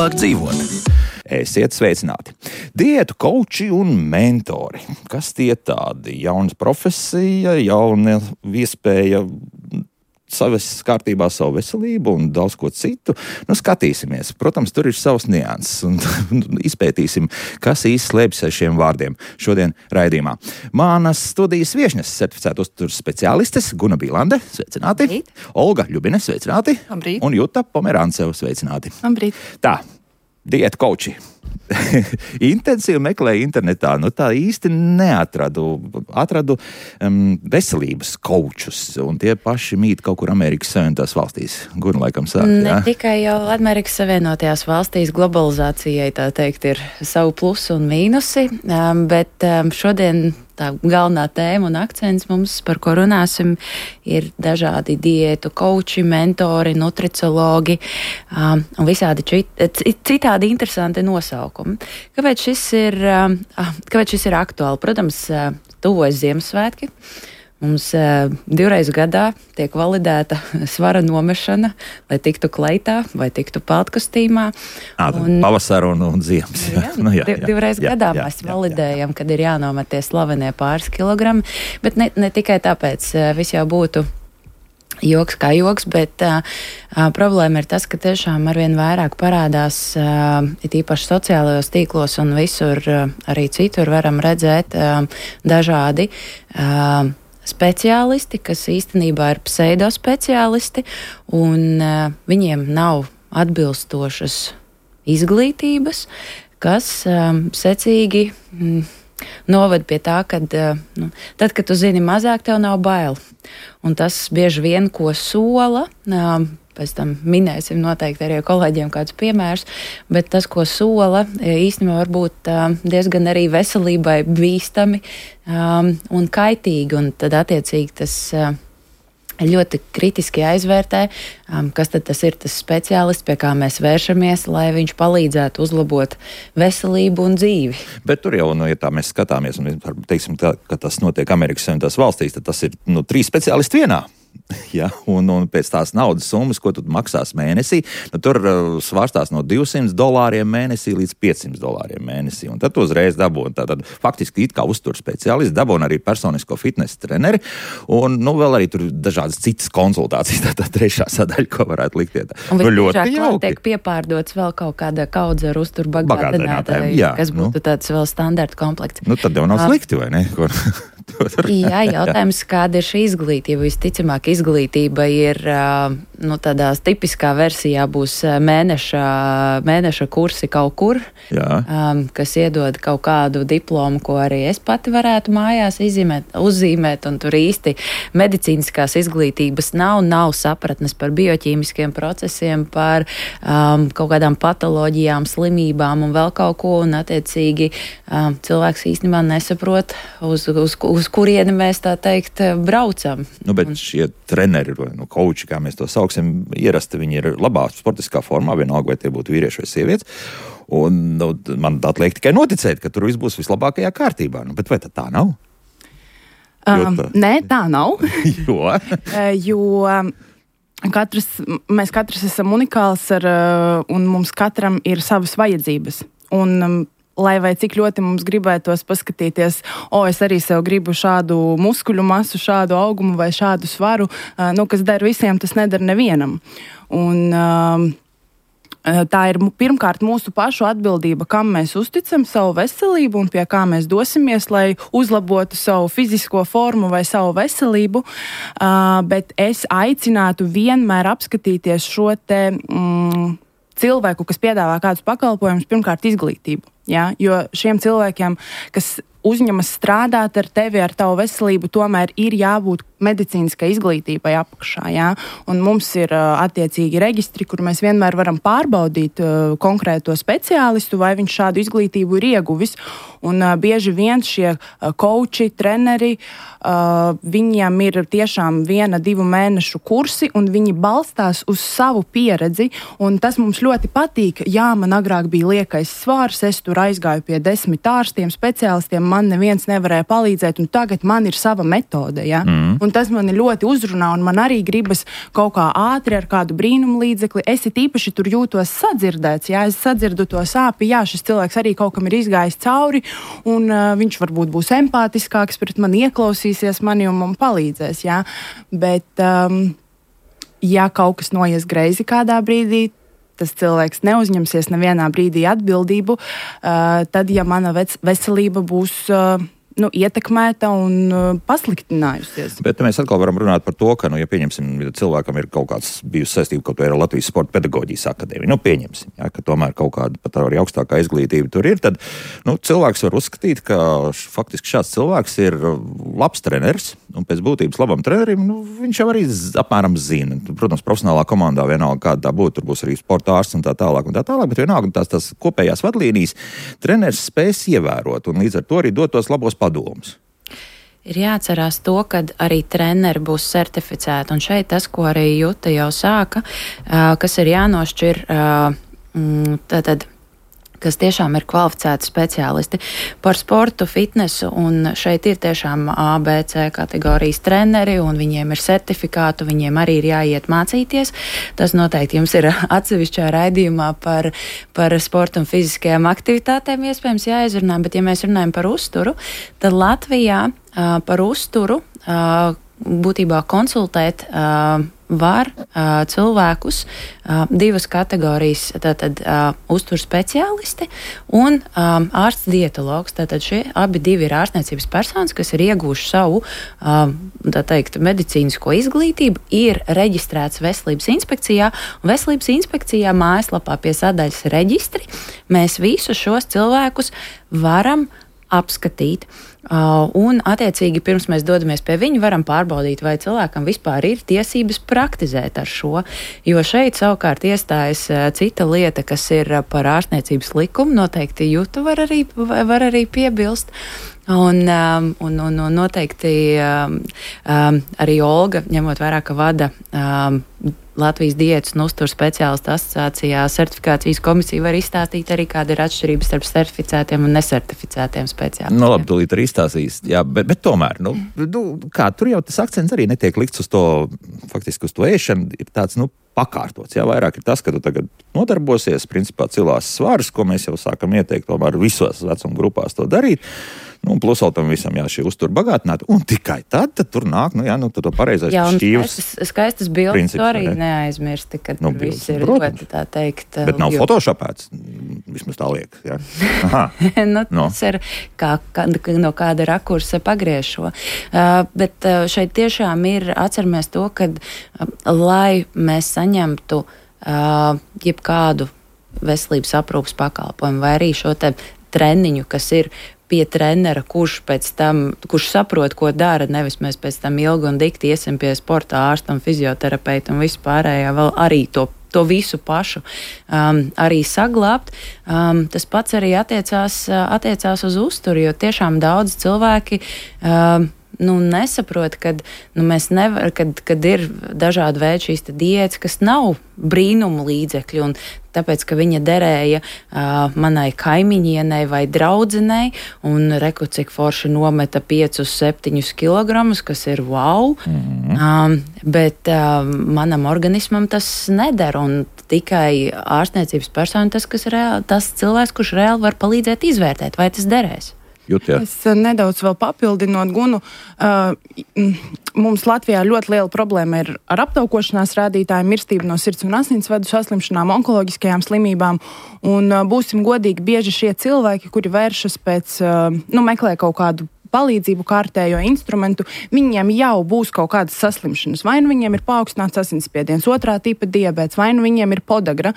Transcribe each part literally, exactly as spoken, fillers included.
labāk dzīvot. Esiet sveicināti! Diētu kauči un mentori. Kas tie tādi? Jauna profesija, jauna iespēja savas kārtībā savu veselību un daudz ko citu. Nu, skatīsimies. Protams, tur ir savs nianses un izpētīsim, kas īsti slēpjas aiz šiem vārdiem šodien raidījumā. Manas studijas viešņas certificēta uzturs speciālistes Guna Bīlande, sveicināti. Labrīt. Olga Ļubine, sveicināti. Labrīt. Un Juta Pomerānceva, sveicināti. Labrīt. Tā, diētu kauči. Intensīvi meklēju internetā, nu tā īsti neatradu. Atradu um, veselības kaučus, un tie paši mīt kaut kur Amerikas Savienotās valstīs. Guna laikam sāk, Ne jā? tikai jau Amerikas Savienotajās valstīs globalizācijai, tā teikt, ir savu plusu un mīnusi, um, bet um, šodien tā galvenā tēma un akcents mums, par ko runāsim, ir dažādi diētu kauči, mentori, nutricologi um, un visādi čit, citādi interesanti nosaukumi. Kāpēc šis ir, um, kāpēc šis ir aktuāli? Protams, uh, tuvojas Ziemassvētki. Mums uh, divreiz gadā tiek validēta svara nomešana, lai tiktu kleitā vai tiktu peltkostīmā. Ā, un, pavasara un, un ziemas. Jā, nu, jā, jā, divreiz jā, gadā jā, mēs jā, validējam, jā. Kad ir jānomet tie slavenie pāris kilogrami, bet ne, ne tikai tāpēc viss jau būtu joks kā joks, bet uh, uh, problēma ir tas, ka tiešām arvien vairāk parādās, uh, it īpaši sociālajos tīklos un visur, uh, arī citur varam redzēt uh, dažādi uh, speciālisti, kas īstenībā ir pseidospeciālisti, un uh, viņiem nav atbilstošas izglītības, kas um, secīgi mm, noved pie tā, ka nu, tad, kad tu zini mazāk, tev nav bail. Un tas bieži vien, ko sola, um, pēc tam minēsim noteikti arī kolēģiem kādus piemērus, bet tas, ko sola, īstenībā var būt um, diezgan arī veselībai bīstami um, un kaitīgi, un tad attiecīgi tas uh, ļoti kritiski jāizvērtē, um, kas tad tas ir tas speciālists, pie kā mēs vēršamies, lai viņš palīdzētu uzlabot veselību un dzīvi. Bet tur jau, nu, ja tā mēs skatāmies, un teiksim, tā, ka tas notiek Amerikas Savienotās valstīs, tad tas ir nu, trīs speciālisti vienā. Ja, un, un pēc tās naudas summas, ko tu maksās mēnesī, nu, tur uh, svārstās no divsimt dolāriem mēnesī līdz piecsimt dolāriem mēnesī. Un tad tu uzreiz dabūni, tātad faktiski it kā uztur speciālisti, dabūni arī personisko fitnesa treneri, un nu, vēl arī tur dažādas citas konsultācijas, tā, tā trešā sadaļa, ko varētu likt ietā. Un nu, ļoti jauki. Tiek piepārdots vēl kaut kāda kaudze ar uzturu bagātinātāju, kas būtu nu. Tāds vēl standarta komplekts. Nu, tad jau nav slikti, vai ne? Jā, jautājums, kāda ir šī izglītība? Visticamāk, izglītība ir nu, tādā tipiskā versijā būs mēneša, mēneša kursi kaut kur, um, kas iedod kaut kādu diplomu, ko arī es pati varētu mājās izzīmēt, uzzīmēt, un tur īsti medicīniskās izglītības nav, nav sapratnes par bioķīmiskiem procesiem, par um, kaut kādām patoloģijām, slimībām un vēl kaut ko, un attiecīgi um, cilvēks īstenībā nesaprot, uz, uz, uz kurieni mēs tā teikt braucam. Nu, bet šie treneri, nu, kauči, kā mēs to sauksim, ierasti viņi ir labā sportiskā formā, vienalga, vai tie būtu vīrieši vai sievietes. Un nu, man atliek tikai noticēt, ka tur viss būs vislabākajā kārtībā. Nu, bet vai tad tā nav? Um, tā... Nē, tā nav. jo? jo katrs, mēs katrs esam unikāls ar, un mums katram ir savas vajadzības. Un um, lai vai cik ļoti mums gribētos paskatīties, o, es arī sev gribu šādu muskuļu masu, šādu augumu vai šādu svaru, uh, nu, kas der visiem, tas nedara nevienam. Un uh, tā ir pirmkārt mūsu pašu atbildība, kam mēs uzticam savu veselību un pie kā mēs dosimies, lai uzlabotu savu fizisko formu vai savu veselību, uh, bet es aicinātu vienmēr apskatīties šo te mm, cilvēku, kas piedāvā kādus pakalpojumus, pirmkārt izglītību. Ja? Jo šiem cilvēkiem, kas uzņemas strādāt ar tevi, ar tavu veselību, tomēr ir jābūt medicīniskai izglītībai apakšā. Ja? Un mums ir uh, attiecīgi reģistri, kur mēs vienmēr varam pārbaudīt uh, konkrēto speciālistu, vai viņš šādu izglītību ir ieguvis. Un uh, bieži vien šie uh, kauči, treneri, uh, viņiem ir tiešām viena, divu mēnešu kursi, un viņi balstās uz savu pieredzi. Un tas mums ļoti patīk. Jā, man agrāk bija liekais svārs, es tur tur aizgāju pie desmit ārstiem, speciālistiem, man neviens nevarēja palīdzēt, un tagad man ir sava metode, ja? Mm. Un tas mani ļoti uzrunā, un man arī gribas kaut kā ātri ar kādu brīnumu līdzekli. Es it īpaši tur jūtos sadzirdēts, ja? Es sadzirdu to sāpi, jā, šis cilvēks arī kaut kam ir izgājis cauri, un uh, viņš varbūt būs empātiskāks pret mani, ieklausīsies mani un man palīdzēs, jā. Bet, um, ja kaut kas noies greizi kādā brīdī, tas cilvēks neuzņemsies nevienā brīdī atbildību, uh, tad, ja mana vec- veselība būs uh, nu, ietekmēta un uh, pasliktinājusies. Bet mēs atkal varam runāt par to, ka, nu, ja pieņemsim, ja cilvēkam ir kaut kāds bijusi saistība kaut vai ar Latvijas Sporta pedagoģijas akadēmiju, nu, pieņemsim, ja, ka tomēr kaut kāda pat arī augstākā izglītība tur ir, tad, nu, cilvēks var uzskatīt, ka š, faktiski šāds cilvēks ir labs treneris, un pēc būtības labam trenerim, nu, viņš jau arī z, apmēram zina. Protams, profesionālā komandā vienalga, kāda tā būtu, tur būs arī sporta ārsts un tā tālāk un tā tālāk, bet vienalga tās, tās kopējās vadlīnijas treneris spēs ievērot un līdz ar to arī dot tos labos padomus. Ir jāatcerās to, ka arī treneri būs certificēti, un šeit tas, ko arī Juta jau sāka, kas ir jānošķir, tātad, kas tiešām ir kvalificēti speciālisti par sportu, fitnesu, un šeit ir tiešām A, B, C kategorijas treneri, un viņiem ir certifikātu, viņiem arī ir jāiet mācīties. Tas noteikti jums ir atsevišķā raidījumā par, par sportu un fiziskajām aktivitātēm iespējams jāizrunā, bet ja mēs runājam par uzturu, tad Latvijā uh, par uzturu uh, būtībā konsultēt uh, var uh, cilvēkus uh, divas kategorijas, tātad uh, uzturu speciālisti un um, ārsts dietologs. Tātad šie abi divi ir ārstniecības personas, kas ir iegūši savu, uh, tā teikt, medicīnisko izglītību, ir reģistrēts Veselības inspekcijā, un Veselības inspekcijā mājaslapā pie sadaļas reģistri mēs visus šos cilvēkus varam apskatīt. Uh, un, attiecīgi, pirms mēs dodamies pie viņa, varam pārbaudīt, vai cilvēkam vispār ir tiesības praktizēt ar šo. Jo šeit savukārt iestājas uh, cita lieta, kas ir uh, par ārstniecības likumu. Noteikti Juta var arī, var arī piebilst. Un, um, un, un, un noteikti um, um, arī Olga, ņemot vērā, ka vada um, Latvijas diētas un uzturu speciālistu asociācijā certifikācijas komisija, var izstāstīt arī, kāda ir atšķirības starp certificētiem un nesertificētiem speciālistiem. Nu, labi, tūlīt arī izstāstīs, jā, bet, bet tomēr, nu, nu, kā, tur jau tas akcents arī netiek likts uz to, faktiski uz to ēšanu, ir tāds, nu, pakārtots, jā, vairāk ir tas, ka tu tagad nodarbosies, principā cilās svarus, ko mēs jau sākam ieteikt, tomēr visos vecuma grupās to darīt. Nu, plus vēl tam visam, jā, šī uztura bagātināta, un tikai tad, tad tur nāk, nu jā, nu, tad to pareizais jā, un šķīvs. Skaistas, skaistas bildes arī ne? neaizmirsti, kad nu, tur viss ir protams. Ļoti, tā teikt. Bet nav jo... photoshopēts, vismaz tā liekas, jā. Aha. nu, no. Tas ir kā, kā, no kāda rakursa pagriešo. Uh, bet uh, šeit tiešām ir, atceramies to, kad, uh, lai mēs saņemtu uh, jebkādu veselības aprūpas pakalpojumu vai arī šo te treniņu, kas ir pie trenera, kurš pēc tam, kurš saprot, ko dara, nevis mēs pēc tam ilgi un dikti iesim pie sporta ārsta un fizioterapeitu un vispārējā vēl arī to, to visu pašu um, arī saglābt. Um, tas pats arī attiecās, attiecās uz uzturu, jo tiešām daudz cilvēki um, nu, nesaprot, kad, nu, mēs nevar, kad, kad ir dažādi veidi šīs diētas, kas nav brīnumu līdzekļi, un tāpēc, ka viņa derēja uh, manai kaimiņienei vai draudzenei, un reku, cik forši nometa piecus, septiņus kilogramus, kas ir wow, mm-hmm. um, bet uh, manam organismam tas neder, un tikai ārstniecības persona tas, kas reāli, tas cilvēks, kurš reāli var palīdzēt izvērtēt, vai tas derēs. Jut, ja. Es nedaudz vēl papildinot Gunu. Uh, mums Latvijā ļoti liela problēma ir ar aptaukošanās rādītājiem, mirstību no sirds un asinsvadu saslimšanām, onkoloģiskajām slimībām. Un uh, būsim godīgi, bieži šie cilvēki, kuri vēršas pēc, uh, nu, meklē kaut kādu palīdzību, kārtējo instrumentu, viņiem jau būs kaut kādas saslimšanas. Vai nu viņiem ir paaugstināts asinsspiediens, otrā tipa diabēts, vai nu viņiem ir podagra.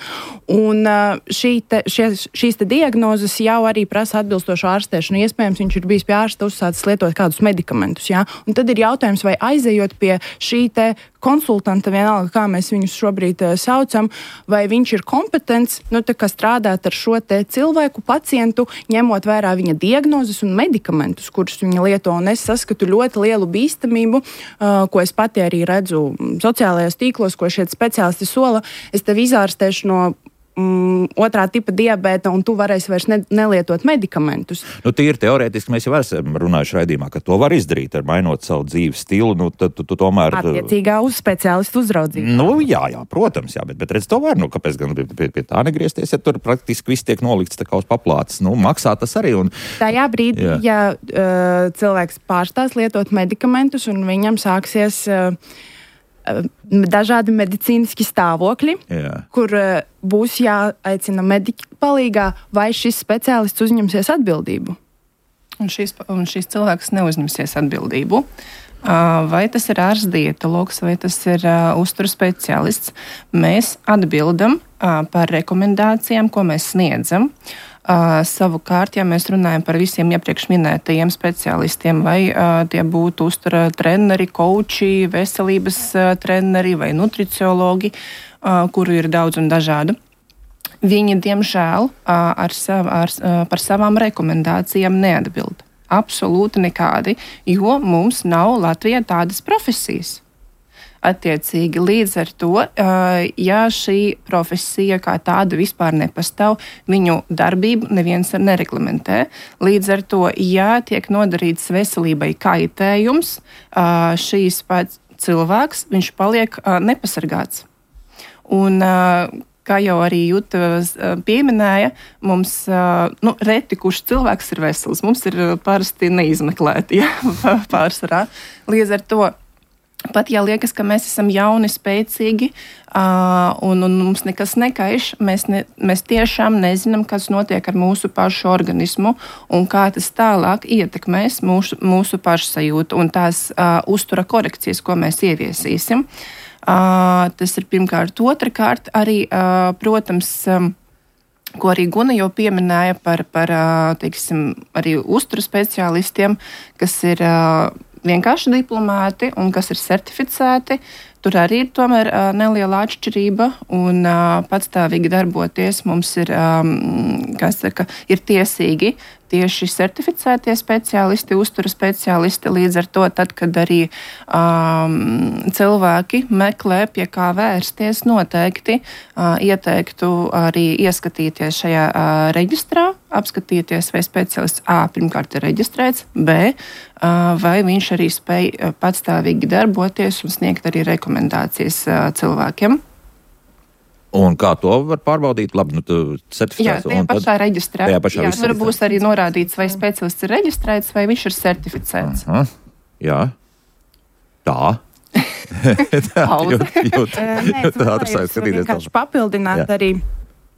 Un šī te, šie, šīs te diagnozes jau arī prasa atbilstošu ārstēšanu. Iespējams, viņš ir bijis pie ārsta uzsācis lietot kādus medikamentus. Jā? Un tad ir jautājums, vai aizejot pie šī te konsultanta, vienalga, kā mēs viņus šobrīd uh, saucam, vai viņš ir kompetents, nu, tā kā strādāt ar šo te cilvēku, pacientu, ņemot vērā viņa diagnozes un medikamentus, kurus viņa lieto, un es saskatu ļoti lielu bīstamību, uh, ko es pati arī redzu sociālajos tīklos, ko šie speciālisti sola. Es tev izārstēšu no mm, otrā tipa diabēta, un tu varēsi vairs ne, nelietot medikamentus. Nu, tīri teorētiski mēs jau esam runājuši raidījumā, ka to var izdarīt, ar mainot savu dzīves stilu. Nu, tad tu, tu tomēr... Attiecīgā uz speciālistu uzraudzību. Nu, jā, jā, protams, jā, bet, bet redz, to var. Nu, kāpēc gan pie, pie, pie tā negriezties, ja tur praktiski viss tiek nolikts tā kā uz paplātes? Nu, maksā tas arī. Un... Tajā brīdī, jā. ja uh, cilvēks pārstās lietot medikamentus un viņam sāksies... Uh, dažādi medicīniski stāvokļi, Jā. kur uh, būs jāaicina mediķi palīgā, vai šis speciālists uzņemsies atbildību. Un šis, un šis cilvēks neuzņemsies atbildību. Uh, vai tas ir ārsts dietologs, vai tas ir uh, uzturu speciālists. Mēs atbildam uh, par rekomendācijām, ko mēs sniedzam. Uh, savukārt, ja mēs runājam par visiem iepriekš minētajiem speciālistiem, vai uh, tie būtu uztura treneri, koči, veselības uh, treneri vai nutriciologi, uh, kuru ir daudz un dažādu, viņi, diemžēl, uh, ar sav, ar, uh, par savām rekomendācijām neatbild. Absolūti nekādi, jo mums nav Latvijā tādas profesijas. Attiecīgi, līdz ar to, ja šī profesija kā tāda vispār nepastāv, viņu darbību neviens nereglamentē. Līdz ar to, ja tiek nodarīts veselībai kaitējums, šīs pats cilvēks, viņš paliek nepasargāts. Un, kā jau arī Juta pieminēja, mums nu, reti, kurš cilvēks ir vesels. Mums ir parasti neizmeklēti, ja, pārsvarā. Līdz ar to, pat ja liekas, ka mēs esam jauni, spēcīgi uh, un, un mums nekas nekaiš, mēs, ne, mēs tiešām nezinām, kas notiek ar mūsu pašu organismu un kā tas tālāk ietekmēs mūsu, mūsu pašsajūtu un tās uh, uztura korekcijas, ko mēs ieviesīsim. Uh, tas ir pirmkārt. Otrakārt, arī, uh, protams, um, ko arī Guna jau pieminēja par, par uh, teiksim, arī uztura speciālistiem, kas ir uh, vienkārši diplomāti un kas ir certificēti. Tur arī ir tomēr uh, neliela atšķirība un uh, patstāvīgi darboties mums ir, um, kas saka, ir tiesīgi tieši certificētie speciālisti, uztura speciālisti. Līdz ar to, tad, kad arī um, cilvēki meklē, pie kā vērsties, noteikti uh, ieteiktu arī ieskatīties šajā uh, reģistrā, apskatīties, vai speciālists A pirmkārt ir reģistrēts, B, uh, vai viņš arī spēj uh, patstāvīgi darboties un sniegt arī rekomendācijas uh, cilvēkiem. Un kā to var pārbaudīt? Labi, nu, tu certificēts. Jā, tajā pašā tad, reģistrā. Tajā pašā jā, tur būs arī norādīts, vai speciālists ir reģistrēts, vai viņš ir certificēts. Aha, jā. Tā. Tā, jūt, jūt, jūt, es vienkārši papildināt jā. Arī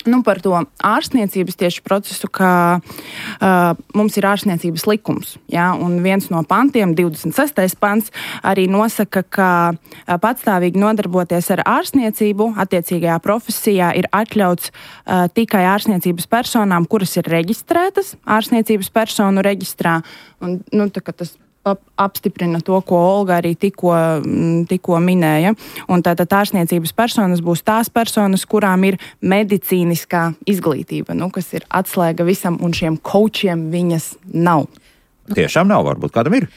nu, par to ārstniecības tieši procesu, ka uh, mums ir ārstniecības likums. Ja? Un viens no pantiem, divdesmit sestais pants, arī nosaka, ka uh, patstāvīgi nodarboties ar ārstniecību attiecīgajā profesijā ir atļauts uh, tikai ārstniecības personām, kuras ir reģistrētas ārstniecības personu reģistrā. Un, nu, tā, tas apstiprina to, ko Olga arī tikko, tikko minēja. Un tātad ārstniecības personas būs tās personas, kurām ir medicīniskā izglītība, nu, kas ir atslēga visam, un šiem kočiem viņas nav. Tiešām nav, varbūt kādam ir.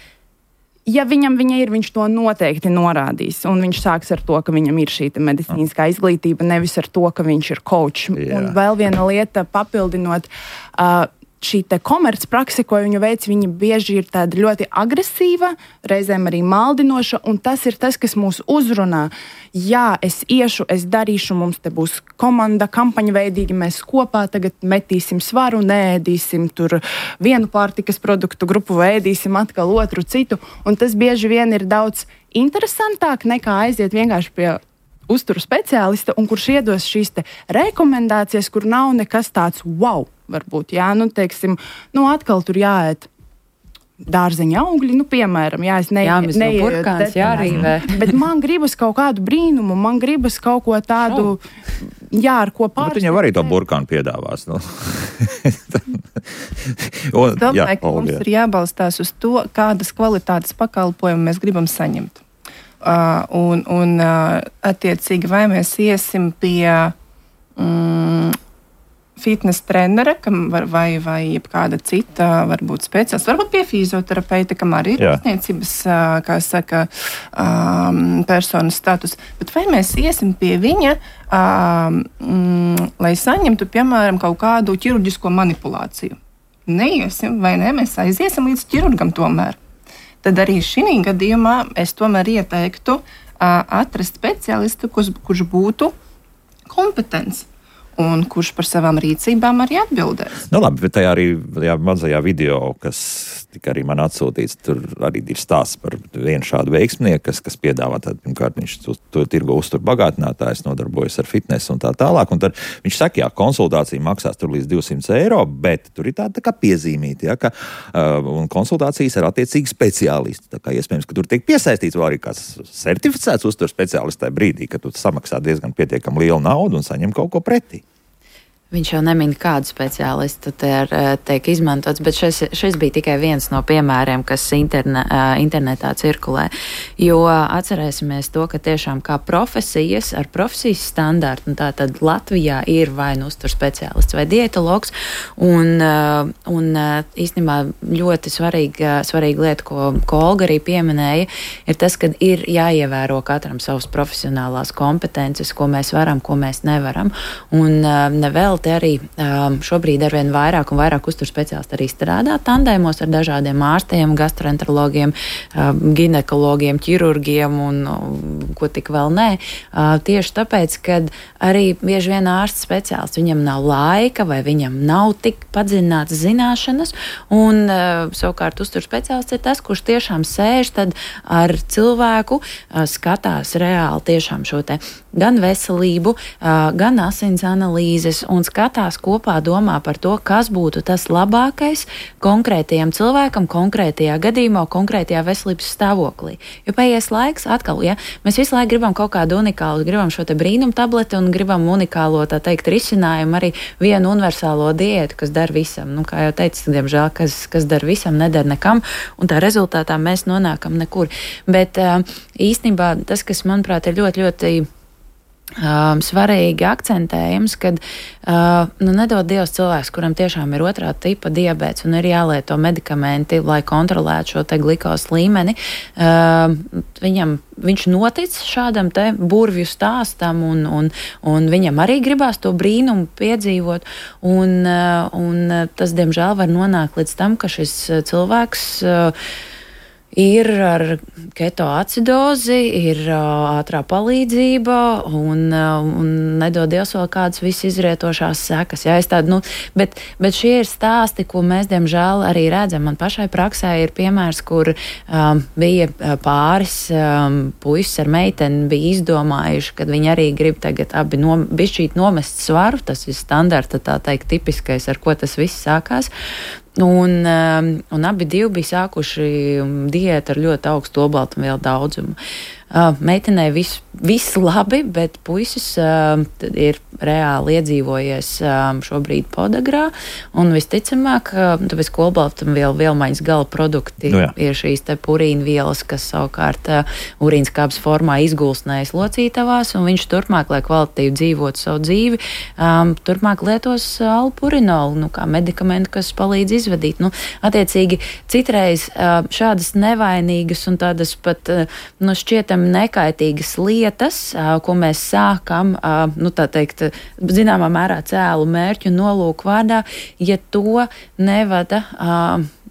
Ja viņam viņa ir, viņš to noteikti norādīs, un viņš sāks ar to, ka viņam ir šī medicīniskā izglītība, nevis ar to, ka viņš ir kočs. Un vēl viena lieta papildinot, uh, šī te komercprakse, ko viņa veic, viņa bieži ir tāda ļoti agresīva, reizēm arī maldinoša, un tas ir tas, kas mūs uzrunā. Jā, es iešu, es darīšu, mums te būs komanda, kampaņa veidīgi, mēs kopā tagad metīsim svaru, neēdīsim tur vienu pārtikas produktu grupu, vai ēdīsim atkal otru citu, un tas bieži vien ir daudz interesantāk nekā aiziet vienkārši pie uzturu speciālista, un kurš iedos šīs te rekomendācijas, kur nav nekas tāds wow. Varbūt, jā, nu, teiksim, nu, atkal tur jāēt dārzeņa augļi, nu, piemēram, jā, es ne, jāmis no burkāns, jārīvē. Bet man gribas kaut kādu brīnumu, man gribas kaut ko tādu, jā, ar ko pārsteigt. Bet viņam arī to burkānu piedāvās, nu. Un, domāju, jā, ka mums ir jābalstās uz to, kādas kvalitātes pakalpojumu mēs gribam saņemt. Uh, un, un uh, attiecīgi, vai mēs iesim pie mm, fitness trenere, kam var, vai, vai kāda cita, varbūt speciālists, varbūt pie fizioterapeita, kam arī ir ārstniecības, kā saka, um, personas status. Bet vai mēs iesim pie viņa, um, mm, lai saņemtu, piemēram, kaut kādu ķirurģisko manipulāciju? Neiesim, vai ne? Mēs aiziesim līdz ķirurgam tomēr. Tad arī šī gadījumā es tomēr ieteiktu uh, atrast speciālistu, kurš, kurš būtu kompetents. Un kurš par savām rīcībām arī atbildēs. Nu labi, bet tajā arī tajā mazajā video, kas tika arī man atsūtīts, tur arī ir stāsts par vienu šādu veiksmnieku, kas, kas piedāvā tādu, pirmkārt, viņš to, to tirgo uztur bagātinātājs, nodarbojas ar fitnesu un tā tālāk, un tad viņš saka, jā, konsultācija maksās tur līdz divsimt eiro, bet tur ir tāda tā kā piezīmīta, ja, ka, uh, un konsultācijas ar attiecīgi speciālisti, tā kā iespējams, ka tur tiek piesaistīts vēl arī kāds certificēts uztur speciālists tajā brīdī, ka tu samaksā diezgan pietiekami lielu naudu un saņem kaut ko pretī. Viņš jau nemin, kādu speciālistu te ir, tiek izmantots, bet šis, šis bija tikai viens no piemēriem, kas interne, internetā cirkulē. Jo atcerēsimies to, ka tiešām kā profesijas ar profesijas standārtu, un tā tad Latvijā ir vai nu uztur speciālists vai dietologs, un, un īstenībā ļoti svarīga, svarīga lieta, ko, ko Olga arī pieminēja, ir tas, ka ir jāievēro katram savas profesionālās kompetences, ko mēs varam, ko mēs nevaram. Un nevēl te arī um, šobrīd arvien vairāk un vairāk uztur speciālisti arī strādā tandēmos ar dažādiem ārstiem, gastroenterologiem, um, ginekologiem, ķirurgiem un um, ko tik vēl nē. Uh, tieši tāpēc, kad arī bieži vien ārsts speciālists, viņam nav laika vai viņam nav tik padziļinātas zināšanas, un uh, savukārt uztur speciālists ir tas, kurš tiešām sēž tad ar cilvēku, uh, skatās reāli tiešām šo te gan veselību, uh, gan asins analīzes un skatās kopā, domā par to, kas būtu tas labākais konkrētajam cilvēkam, konkrētajā gadījumā, konkrētajā veselības stāvoklī. Jo paies laiks, atkal, ja, mēs visu laiku gribam kaut kādu unikālu, gribam šo te brīnumu tableti un gribam unikālo, tā teikt, risinājumu, arī vienu universālo diētu, kas dar visam. Nu, kā jau teicu, diemžēl, kas, kas dar visam, nedar nekam, un tā rezultātā mēs nonākam nekur. Bet īstenībā tas, kas, manuprāt, ir ļoti, ļoti Um, svarīgi akcentējums, kad uh, nu, nedod Dievs cilvēks, kuram tiešām ir otrā tipa diabēts un ir jālieto medikamenti, lai kontrolētu šo te glikos līmeni. Uh, viņam, viņš notic šādam te burvju stāstam un, un, un viņam arī gribās to brīnumu piedzīvot. Un, uh, un tas, diemžēl, var nonākt līdz tam, ka šis cilvēks uh, ir ar ketoacidozi, ir uh, ātrā palīdzība un, uh, un nedod Dievs vēl kādas visizrietošās sekas. Jā, es tādu, nu, bet, bet šie ir stāsti, ko mēs, diemžēl, arī redzam. Man pašai praksē ir piemērs, kur um, bija pāris um, puisis ar meiteni bija izdomājuši, kad viņi arī grib tagad abi nom, bišķīt nomest svaru. Tas ir standarta, tā teikt, tipiskais, ar ko tas viss sākās. Un, um, un abi divi bija sākuši diētu ar ļoti augstu olbaltumvielu daudzumu. Uh, meitenei viss vis labi, bet puisis uh, ir reāli iedzīvojies um, šobrīd podagrā, un visticamāk, uh, tāpēc, ka olbaltumvielu vielmaiņas gala produkti nu, ir šīs te purīna vielas, kas savukārt uh, urīnskābes formā izgulsnējas locītavās, un viņš turpmāk, lai kvalitatīvi dzīvotu savu dzīvi, um, turpmāk lietos uh, alpurinolu, nu, kā medikamentu, kas palīdz izvadīt. Nu, attiecīgi, citreiz uh, šādas nevainīgas un tādas pat, uh, nu, šķietam nekaitīgas lietas, ko mēs sākam, nu tā teikt, zināmā mērā cēlu mērķu nolūku vārdā, ja to nevada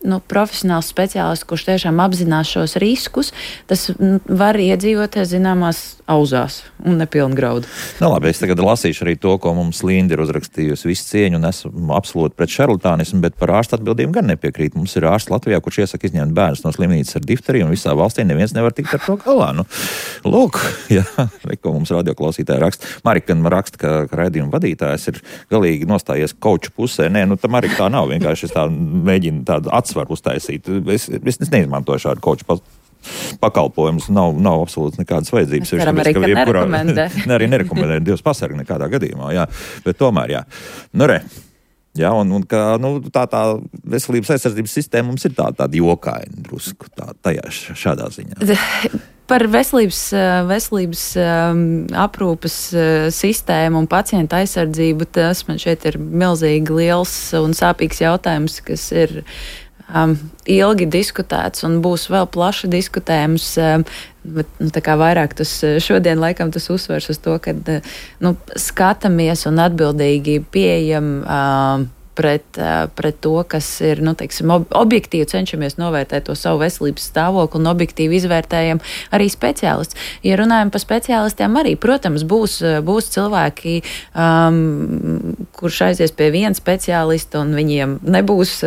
nu, profesionāls speciālists, kurš tiešām apzinās šos riskus, tas var iedzīvoties zināmās auzās un nepilngraudu. Nu, labi, es tagad lasīšu arī to, ko mums Linda ir uzrakstījusi visu cieņu, un esmu absolūti pret šarlatānismu, bet par ārstu atbildību gan nepiekrīt. Mums ir ārsts Latvijā, kurš iesaka izņemt bērnus no slimnīcas ar difteriju, un visā valstī neviens nevar tikt ar to galā. Nu, lūk, jā, ko mums radioklausītāji raksta. Marika raksta, ka raidījuma vadītājs ir galīgi nostājies kauču pusē. Nē, nu, tā Marika tā nav, vienkārši es tā mēģinu tādu atsvaru uztaisīt. Es, es, es neizmantoju šādu kauču pakalpojumus. Pakalpojums nav, nav absolūti nekādas vajadzības. Mēs varam arī, ka nerekomendē. Ne, arī nerekomendē, Dievs pasargi nekādā gadījumā, jā. Bet tomēr, jā. Nu, re. Jā, un, un ka, nu, tā, tā veselības aizsardzības sistēma mums ir tā, tāda jokaina drusku, tā, tajā šādā ziņā. par veselības, veselības aprūpes sistēmu un pacientu aizsardzību, tas man šeit ir milzīgi liels un sāpīgs jautājums, kas ir um, ilgi diskutēts un būs vēl plaši diskutējums. Um, bet, nu, tā kā vairāk tas šodien laikam tas uzsvers uz to, ka nu, skatāmies un atbildīgi pieejam um, Pret, pret to, kas ir, nu, teiksim, objektīvi cenšamies novērtēt to savu veselības stāvokli un objektīvi izvērtējam arī speciālists. Ja runājam par speciālistiem arī, protams, būs, būs cilvēki, um, kurš aizies pie viena speciālista un viņiem nebūs,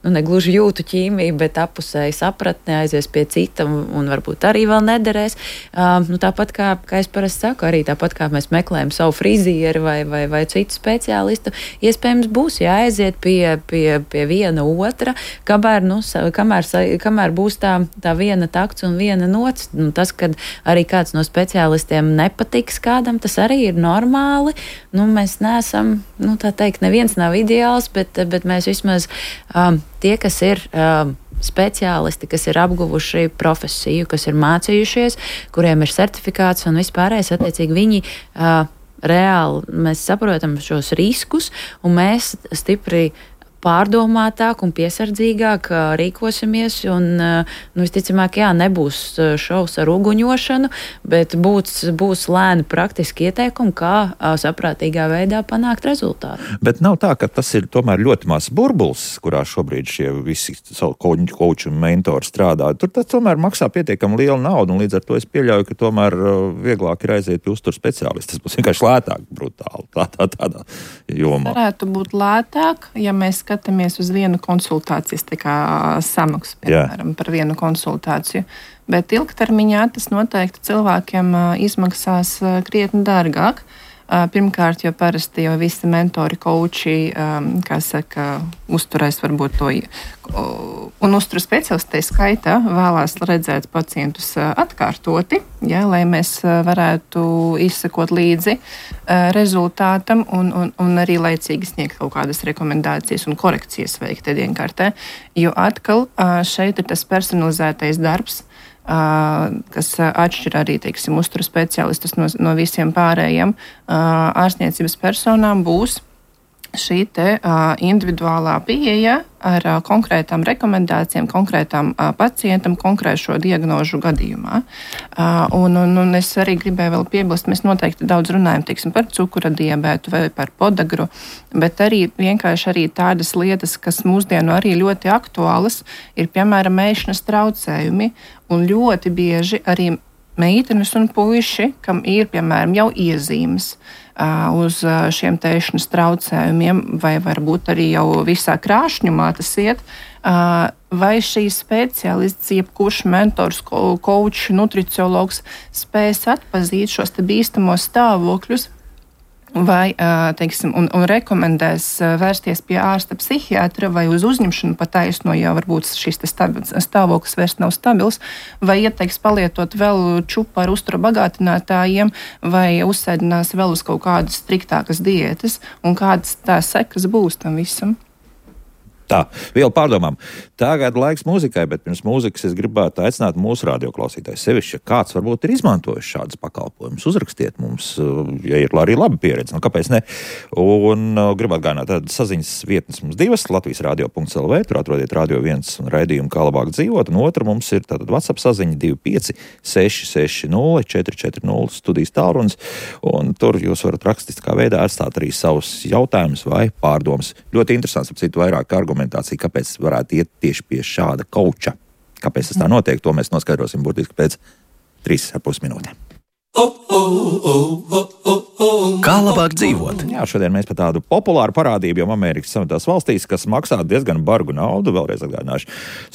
nu, negluži jūtu ķīmija, bet apusēji sapratne, aizies pie cita un, un varbūt arī vēl nederēs. Um, nu, tāpat kā, kā es parasti saku, arī tāpat kā mēs meklējam savu frizieri vai, vai, vai citu speciālistu, iespējams būs jāiet aiziet pie, pie, pie viena otra, kamēr, nu, kamēr, kamēr būs tā, tā viena takts un viena nots. Nu, tas, kad arī kāds no speciālistiem nepatiks kādam, tas arī ir normāli. Nu, mēs neesam, nu, tā teikt, neviens nav ideāls, bet, bet mēs vismaz um, tie, kas ir um, speciālisti, kas ir apguvuši profesiju, kas ir mācījušies, kuriem ir certifikāts un vispārējais, attiecīgi viņi uh, reāli mēs saprotam šos riskus, un mēs stipri pārdomātāk un piesardzīgāk rīkosimies, un, nu, visticamāk, jā, nebūs šovs ar uguņošanu, bet būs, būs lēni praktiski ieteikumi, kā saprātīgā veidā panākt rezultātu. Bet nav tā, ka tas ir tomēr ļoti mazs burbulis, kurā šobrīd šie visi koči un mentori strādā. Tur tas tomēr maksā pietiekami lielu naudu, un līdz ar to es pieļauju, ka tomēr vieglāk ir aiziet pie uztur speciālisti. Tas būs vienkārši lētāk, brutāli, tā, tā, tādā jomā. Varētu būt lētāk, ja mēs skatāmies uz vienu konsultācijas samaksu, piemēram, Jā. par vienu konsultāciju. Bet ilgtermiņā tas noteikti cilvēkiem izmaksās krietni dārgāk. Pirmkārt, jo parasti jau visi mentori, koči, kā saka, uzturēs varbūt to, un uzturu speciālisti skaitā vēlās redzēt pacientus atkārtoti, ja, lai mēs varētu izsekot līdzi rezultātam un, un, un arī laicīgi sniegt kaut kādas rekomendācijas un korekcijas veikt ēdienkartē, jo atkal šeit ir tas personalizētais darbs, kas atšķir arī, teiksim, uzturu speciālistus no, no visiem pārējiem ārstniecības personām, būs šī te individuālā pieeja ar konkrētām rekomendācijām, konkrētām pacientam, konkrēšo diagnožu gadījumā. Un, un, un es arī gribēju vēl piebilst, mēs noteikti daudz runājam, teiksim, par cukura diabētu vai par podagru, bet arī vienkārši arī tādas lietas, kas mūsdienu arī ļoti aktuālas, ir, piemēram, ēšanas traucējumi, un ļoti bieži arī meitenes un puiši, kam ir, piemēram, jau iezīmes uh, uz šiem ēšanas traucējumiem, vai varbūt arī jau visā krāšņumā tas iet, uh, vai šīs speciālists, jebkurš mentors, kočs, nutriciologs spēs atpazīt šos te bīstamos stāvokļus, vai, teiksim, un, un rekomendēs vērsties pie ārsta psihiatra vai uz uzņemšanu pa taisno, ja varbūt šis stāvoklis vairs nav stabils, vai ieteiks palietot vēl čupu ar uzturu bagātinātājiem, vai uzsēdinās vēl uz kaut kādas striktākas diētas, un kādas tās sekas būs tam visam. Tā, vēl pārdomām. Tagad laiks mūzikai, bet pirms mūzikas es gribētu aicināt mūsu radioklausītājus sevišķi, ja kāds varbūt ir izmantojis šādas pakalpojumus. Uzrakstiet mums, ja ir arī laba pieredze, nu kāpēc ne. Un uh, gribētu gānāt tādas saziņas vietnes mums divas, Latvijas radio punkts el vē, tur atrodiet Radio viens un raidījumu Kā labāk dzīvot, un otra mums ir tātad WhatsApp saziņa divi pieci seši seši nulle četri četri nulle studijas tālrunis, un tur jūs varat rakstiskā veidā atstāt arī savus jautājumus vai pārdomas. Ļoti interesants, ap citu vairāk argumentācija, kāpēc varētu iet tieši pie šāda kauča. Kāpēc tas tā notiek, to mēs noskaidrosim burtiski pēc trīs ar pus minūtēm. Kā labāk dzīvot? Jā, šodien mēs par tādu populāru parādību, jo Amerikas Savienotās valstīs, kas maksā diezgan bargu naudu, vēlreiz atgādināšu,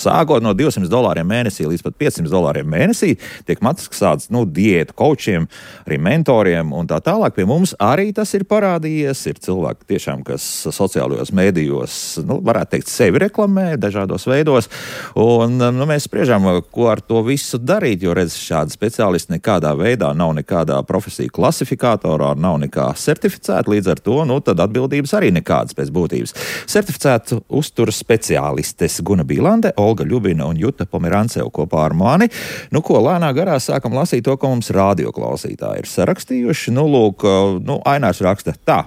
sākot no divsimt dolāriem mēnesī līdz pat piecsimt dolāriem mēnesī, tiek maksāts, nu, diētu kočiem, arī mentoriem un tā tālāk. Pie mums arī tas ir parādījies. Ir cilvēki tiešām, kas sociālajos mēdījos, nu, varētu teikt, sevi reklamē dažādos veidos. Un, nu, mēs spriežam, ko ar to visu darīt, jo, redz, šādi speciālisti nekādā veidā nav nekādā profesiju klasifikātorā, vispār nav nekā certificēta, līdz ar to, nu, tad atbildības arī nekādas pēc būtības. Certificētu uzturas speciālistes Guna Bīlande, Olga Ļubina un Juta Pomerancev kopā ar mani. Nu, ko lēnā garā sākam lasīt to, ko mums radioklausītāji ir sarakstījuši. Nu, lūk, nu, Ainārs raksta tā.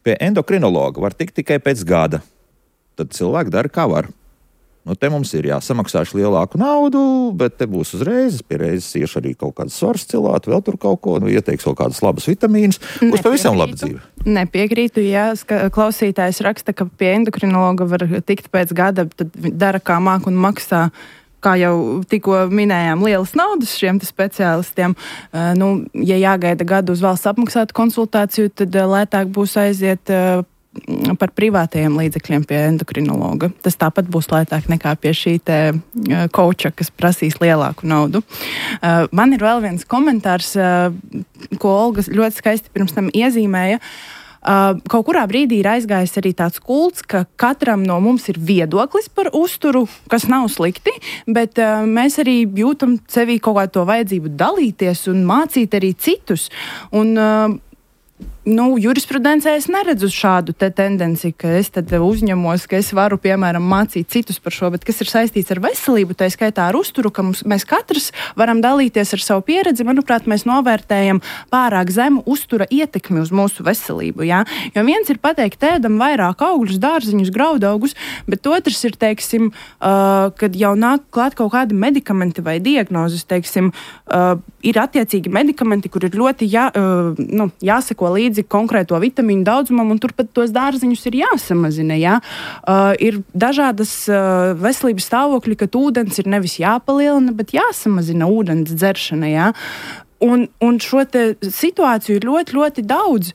Pie endokrinologa var tikt tikai pēc gada. Tad cilvēki dara, kā var. Nu, te mums ir jāsamaksāšu lielāku naudu, bet te būs uzreiz, pie reizes iešu arī kaut kādas svars cilāt, vēl tur kaut ko, nu, ieteiks vēl kādas labas vitamīnas. Būs pavisam laba dzīve. Nepiekrītu, ja klausītājs raksta, ka pie endokrinologa var tikt pēc gada, tad dara kā māk un maksā, kā jau tikko minējām, lielas naudas šiem speciālistiem. Uh, nu, ja jāgaida gadu uz valsts apmaksātu konsultāciju, tad uh, lētāk būs aiziet uh, par privātajiem līdzekļiem pie endokrinologa. Tas tāpat būs lētāk nekā pie šī te kouča, kas prasīs lielāku naudu. Uh, man ir vēl viens komentārs, uh, ko Olga ļoti skaisti pirms tam iezīmēja. Uh, kaut kurā brīdī ir aizgājis arī tāds kults, ka katram no mums ir viedoklis par uzturu, kas nav slikti, bet uh, mēs arī jūtam sevī kaut kādu to vajadzību dalīties un mācīt arī citus. Un uh, Nu, jurisprudencē es neredzu šādu te tendenci, ka es tad uzņemos, ka es varu, piemēram, mācīt citus par šo, bet kas ir saistīts ar veselību, tā skaitā ar uzturu, ka mums, mēs katrs varam dalīties ar savu pieredzi. Manuprāt, mēs novērtējam pārāk zemu uztura ietekmi uz mūsu veselību, jā? Jo viens ir pateikt, ēdam vairāk augļus, dārziņus, graudaugus, bet otrs ir, teiksim, uh, kad jau nāk klāt kaut kādi medikamenti vai diagnozes, teiksim, uh, ir attiecīgi medikamenti, kur ir ļoti jā, uh, nu, jāseko līdzi konkrēto vitamīnu daudzumam, un turpat tos dārziņus ir jāsamazina. Jā? Uh, ir dažādas uh, veselības stāvokļi, kad ūdens ir nevis jāpalielina, bet jāsamazina ūdens dzeršana. Jā? Un, un šo te situāciju ir ļoti, ļoti daudz.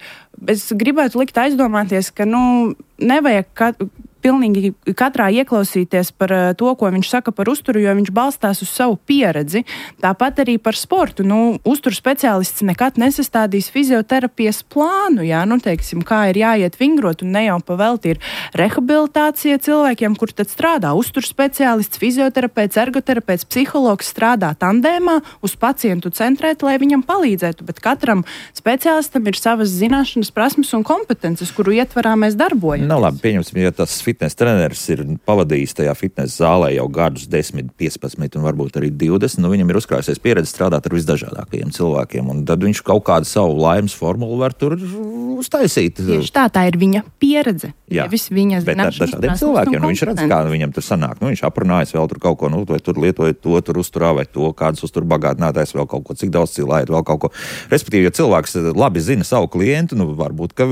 Es gribētu likt aizdomāties, ka nu, nevajag kat- pilnīgi katrā ieklausīties par uh, to, ko viņš saka par uzturu, jo viņš balstās uz savu pieredzi. Tāpat arī par sportu. Nu, uzturu speciālists nekad nesastādīs fizioterapijas plānu, jā, nu, teiksim, kā ir jāiet vingrot, un ne jau pavelti ir rehabilitācija cilvēkiem, kur tad strādā uzturu speciālists, fizioterapeits, ergoterapeits, psihologs strādā tandēmā, uz pacientu centrēt, lai viņam palīdzētu, bet katram speciālistam ir savas zināšanas, prasmes un kompetences, kuru ietvarā mēs darbojamies. Nu, labi, pieņemsim, ja tas fitness treneris ir pavadījis tajā fitness zālē jau gadus desmit, piecpadsmit un varbūt arī divdesmit, nu viņam ir uzkrājusies pieredze strādāt ar visdažādākajiem cilvēkiem, un tad viņš kaut kādu savu laimes formulu var tur uztaisīt. Tieši tā, tā ir viņa pieredze. Jā, viņa bet ar dažādiem cilvēkiem, nu viņš redz, kā viņam tur sanāk, nu viņš aprunājas vēl tur kaut ko, nu vai tur lietoja to, tur uzturā vai to, kādas uztur bagātinātājs vēl kaut ko, cik daudz cilājot vēl kaut ko. Respektīvi, ja cilvēks labi zina savu klientu, nu varbūt, ka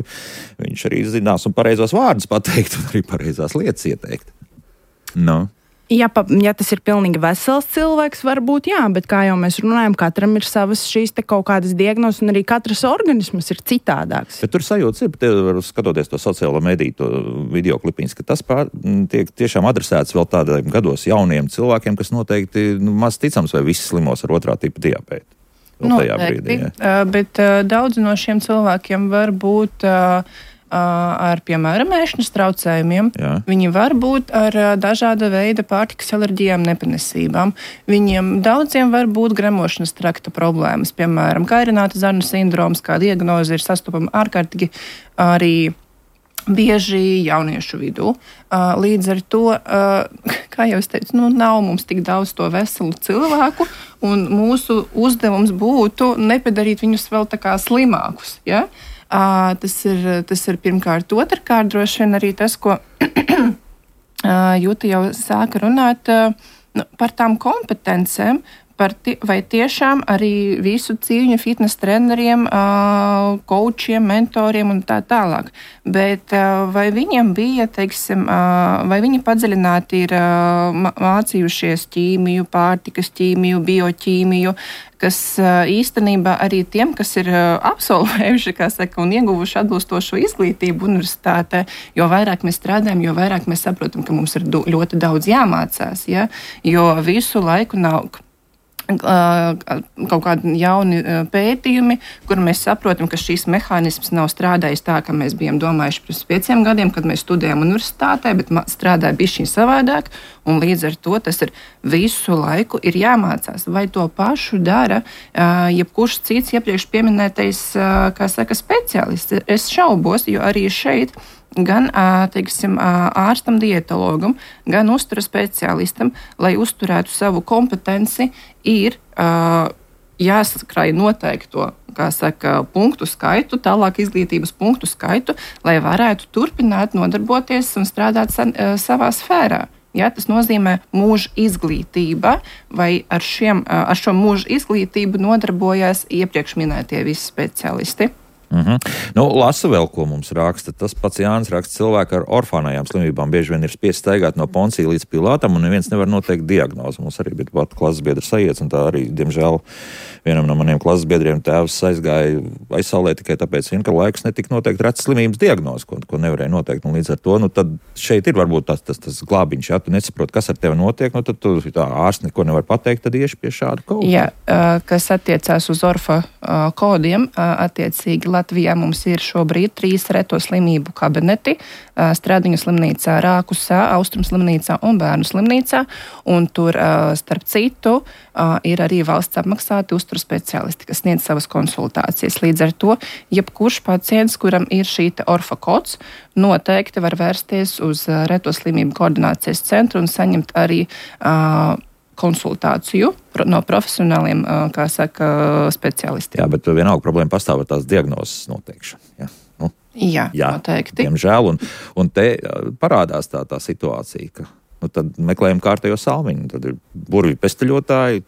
viņš arī zinās un pareizos vārdus pateikt un arī pareizās lietas ieteikt. No. Ja, pa, ja tas ir pilnīgi vesels cilvēks, varbūt jā, bet kā jau mēs runājam, katram ir savas šīs te kaut kādas diagnozes, un arī katrs organisms ir citādāks. Bet tur sajūtas ir, tie, skatoties to sociālo mediju, to video klipiņas, ka tas pār, tiek tiešām adresēts vēl tādiem gados jauniem cilvēkiem, kas noteikti nu, maz ticams, vai visi slimos ar otrā tipa diabētu. Noteikti, uh, bet uh, daudzi no šiem cilvēkiem var būt uh, ar, piemēram, ēšanas traucējumiem. Jā. Viņi var būt ar dažāda veida pārtikas alerģijām, nepanesībām. Viņiem daudziem var būt gremošanas trakta problēmas, piemēram, kairināta zarnu sindroms, kā diagnoze ir sastopama ārkārtīgi arī bieži jauniešu vidū. Līdz ar to, kā jau es teicu, nu, nav mums tik daudz to veselu cilvēku, un mūsu uzdevums būtu nepadarīt viņus vēl tā kā slimākus, ja? Uh, tas, ir, tas ir pirmkārt. Otrkārt, droši vien arī tas, ko uh, Juta jau sāka runāt uh, nu, par tām kompetencēm, par ti, vai tiešām arī visu cīņu fitness treneriem, uh, koučiem, mentoriem un tā tālāk. Bet uh, vai viņiem bija, teiksim, uh, vai viņi padziļināti ir uh, mācījušies ķīmiju, pārtikas ķīmiju, bioķīmiju, kas uh, īstenībā arī tiem, kas ir uh, absolvējuši, kā saka, un ieguvuši atbilstošo izglītību universitātē, jo vairāk mēs strādājam, jo vairāk mēs saprotam, ka mums ir do, ļoti daudz jāmācās, ja? Jo visu laiku nav kaut kādi jauni pētījumi, kur mēs saprotam, ka šīs mehānisms nav strādājis tā, ka mēs bijām domājuši pirms pieciem gadiem, kad mēs studējām universitātē, bet strādāja bišķiņ savādāk, un līdz ar to tas ir visu laiku ir jāmācās. Vai to pašu dara jebkurš cits iepriekš pieminētais, kā saka, speciālists? Es šaubos, jo arī šeit gan teiksim, ārstam, dietologam, gan uztura speciālistam, lai uzturētu savu kompetenci, ir uh, jāsakrāj noteikto, kā saka, punktu skaitu, tālāk izglītības punktu skaitu, lai varētu turpināt nodarboties un strādāt sa, uh, savā sfērā. Ja, tas nozīmē mūža izglītība, vai ar, šiem, uh, ar šo mūža izglītību nodarbojās iepriekš minētie visi speciālisti. Mm-hmm. Nu, lasa vēl, ko mums raksta. Tas pats Jānis raksta, cilvēki ar orfānajām slimībām bieži vien ir spiest staigāt no Poncija līdz Pilātam, un neviens nevar noteikt diagnozi. Mums arī bija pat klases biedra sajiets, un tā arī, diemžēl, vienam no maniem klases biedriem tēvs aizgāja aizsaulē tikai tāpēc, vien, ka laiks netika noteikt retas slimības diagnozi, ko, ko nevarēja noteikt. Un līdz ar to, nu, tad šeit ir varbūt tas, tas, tas glābiņš, ja tu nesaproti, kas ar tevi notiek, nu, tad tu tā ārsts neko nevar pateikt, tad ieši pie šāda koda. Jā, kas attiecās uz orfa kodiem, attiecīgi Latvijā mums ir šobrīd trīs reto slimību kabineti - Stradiņu slimnīcā, Rākusā, Austrum slimnīcā un Bērnu slimnīcā, un tur, starp citu, ir arī valsts apmaksāti uzturu speciālisti, kas sniedz savas konsultācijas. Līdz ar to, jebkurš pacients, kuram ir šī orfa kods, noteikti var vērsties uz reto slimību koordinācijas centru un saņemt arī uh, konsultāciju no profesionāliem, kā saka, speciālistiem. Jā, bet vienalga problēma pastāv ar tās diagnozes noteikšanu. Jā, nu, jā, jā noteikti. Diemžēl, un, un te parādās tā, tā situācija, ka nu, tad meklējam kārtējo salmiņu, tad ir burvju pesteļotāji,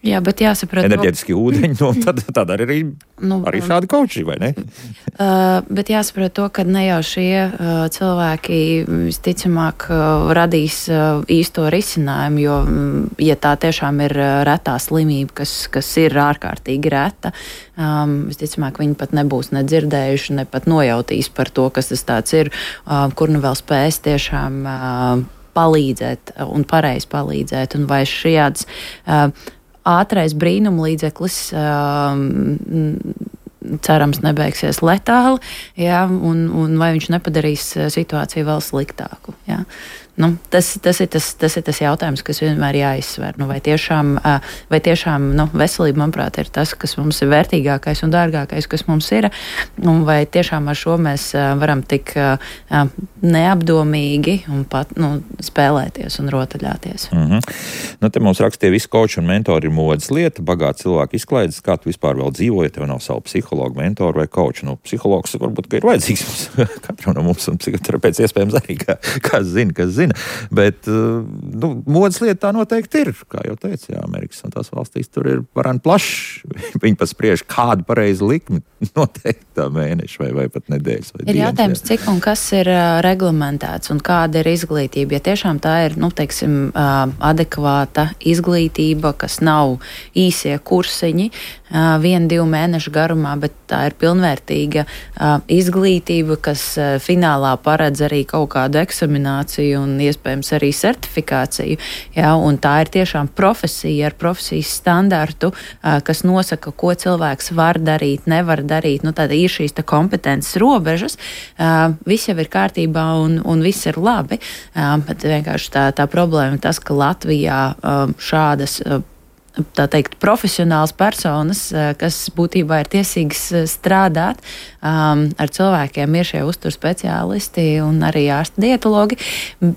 Jā, bet jāsaprot, enerģētiski no... ūdeņi, nu, tad, tad arī, nu, arī šādi kauči, vai ne? Uh, bet jāsaprot to, ka ne jau šie uh, cilvēki visticamāk uh, radīs uh, īsto risinājumu, jo, um, ja tā tiešām ir uh, retā slimība, kas, kas ir ārkārtīgi reta, um, visticamāk viņi pat nebūs nedzirdējuši, ne pat nojautīs par to, kas tas tāds ir, uh, kur nu vēl spēs tiešām uh, palīdzēt un pareizi palīdzēt, un vai šāds uh, ātrais brīnuma līdzeklis um, cerams nebeigsies letāli, jā, un, un vai viņš nepadarīs situāciju vēl sliktāku. Jā. Nu, tas, tas, ir tas, tas ir tas jautājums, kas vienmēr jāizsver. Nu, vai tiešām, vai tiešām nu, veselība, manuprāt, ir tas, kas mums ir vērtīgākais un dārgākais, kas mums ir, un vai tiešām ar šo mēs varam tik neapdomīgi un pat nu, spēlēties un rotaļāties. Mm-hmm. Nu, te mums rakstīja, visi koči un mentori ir modes lieta, bagāti cilvēki izklaides, kā tu vispār vēl dzīvo, ja tev nav savu psihologu, mentoru vai koči. Nu, psihologs varbūt, ka ir vajadzīgs mums, katram no mums, un psihoterapeits iespējams arī, kā, kā zina, kas zina. Bet nu, modes lieta tā noteikti ir, kā jau teicu, jā, Amerikas un tās valstīs tur ir varani plašs. Viņi pat spriež, kādu pareizi likmi noteikti tā mēneša vai, vai pat nedēļas. Vai ir dienas, jautājums, jā. Cik un kas ir uh, reglamentēts un kāda ir izglītība. Ja tiešām tā ir, nu, teiksim, uh, adekvāta izglītība, kas nav īsie kursiņi, uh, vienu, divu mēnešu garumā, bet tā ir pilnvērtīga uh, izglītība, kas uh, finālā paredz arī kaut kādu eksamināciju un iespējams arī certifikāciju, jā, un tā ir tiešām profesija ar profesijas standartu, kas nosaka, ko cilvēks var darīt, nevar darīt, nu tāda ir šīs tā kompetences robežas, viss jau ir kārtībā un, un viss ir labi, bet vienkārši tā, tā problēma ir tas, ka Latvijā šādas tā teikt, profesionāls personas, kas būtībā ir tiesīgas strādāt um, ar cilvēkiem, ir šie uzturu speciālisti un arī ārsti dietologi.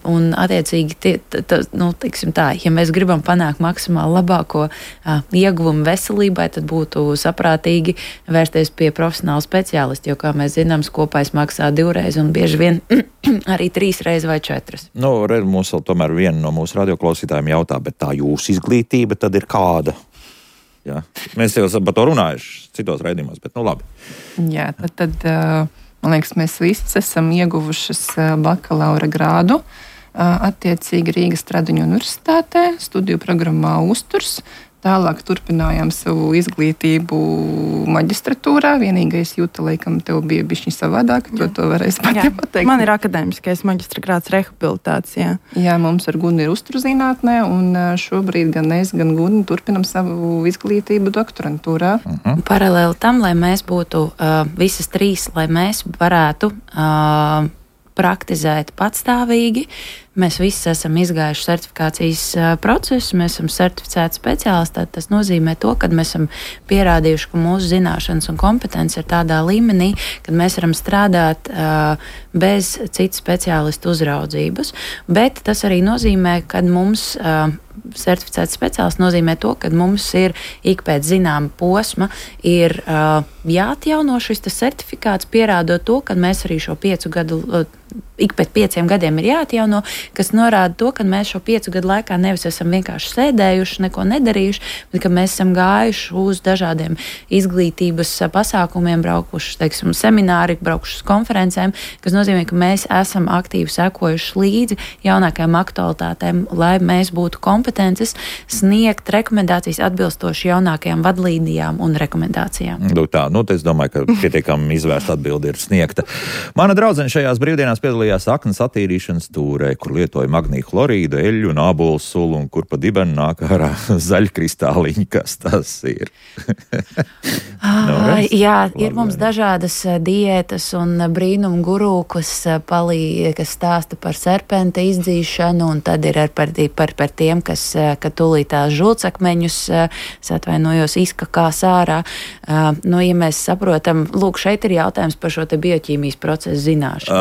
Un, attiecīgi, tie, t, t, nu, teiksim tā, ja mēs gribam panākt maksimāli labāko uh, ieguvumu veselībai, tad būtu saprātīgi vērsties pie profesionāla speciālista, jo, kā mēs zinām, kopais maksā divreiz un bieži vien arī trīs reizes vai četras. Nu, redz, mums vēl tomēr viena no mūsu radioklausītājiem jautā, bet tā jūsu izglītība tad ir kāda? Jā. Mēs jau par to runājuši citos raidījumos, bet nu labi. Jā, tad, tad man liekas, mēs visi esam ieguvušas bakalaura grādu attiecīgi Rīgas Stradiņu universitātē, studiju programmā uzturs. Tālāk turpinājām savu izglītību maģistratūrā. Vienīgais jūta, laikam, tev bija bišķiņ savādāk, jo to varēs pati pateikt. Man ir akadēmiskais maģistra grāds rehabilitācijā. Jā, mums ar Guni ir uzturzinātnē, un šobrīd gan es, gan Guni turpinam savu izglītību doktorantūrā. Uh-huh. Paralēli tam, lai mēs būtu uh, visas trīs, lai mēs varētu uh, praktizēt patstāvīgi. Mēs visi esam izgājuši certifikācijas uh, procesu, mēs esam certificēti speciālisti. Tas nozīmē to, ka mēs esam pierādījuši, ka mūsu zināšanas un kompetence ir tādā līmenī, ka mēs varam strādāt uh, bez citu speciālistu uzraudzības. Bet tas arī nozīmē, ka mums uh, certificēts speciālists nozīmē to, ka mums ir ik pēc zināma posma ir uh, jāatjauno šis certifikāts, pierādot to, ka mēs arī šo piecu gadu, uh, ik pēc pieciem gadiem ir jāatjauno, kas norāda to, ka mēs šo piecu gadu laikā nevis esam vienkārši sēdējuši, neko nedarījuši, bet ka mēs esam gājuši uz dažādiem izglītības pasākumiem, braukuši, teiksim, semināri, braukuši uz konferencēm, kas nozīmē, ka mēs esam aktīvi sekojuši līdzi jaunākajām aktualitātēm, lai mēs būtu kompetences sniegt rekomendācijas atbilstoši jaunākajām vadlīnijām un rekomendācijām. Nu, tā, nu, es domāju, ka pietiekami izvērsta atbildi ir sniegta. Mana draudzene šajās brīvdienās piedalījās aknas attīrīšanas tūrē, kur lietoja magnīju chlorīdu, eļļu un ābolu sulu, un kur pa dibenu nāk ārā zaļkristāliņi, kas tas ir. no, jā, ir mums dažādas diētas un brīnumu guru, kas palīdz, kas stāsta par serpenta izdzīšanu, un tad ir par, par, par tiem, kas, ka tūlītās žulcakmeņus, es atvainojos, izkakās ārā. Nu, ja mēs saprotam, lūk, šeit ir jautājums par šo te bioķīmijas procesu zināšanu.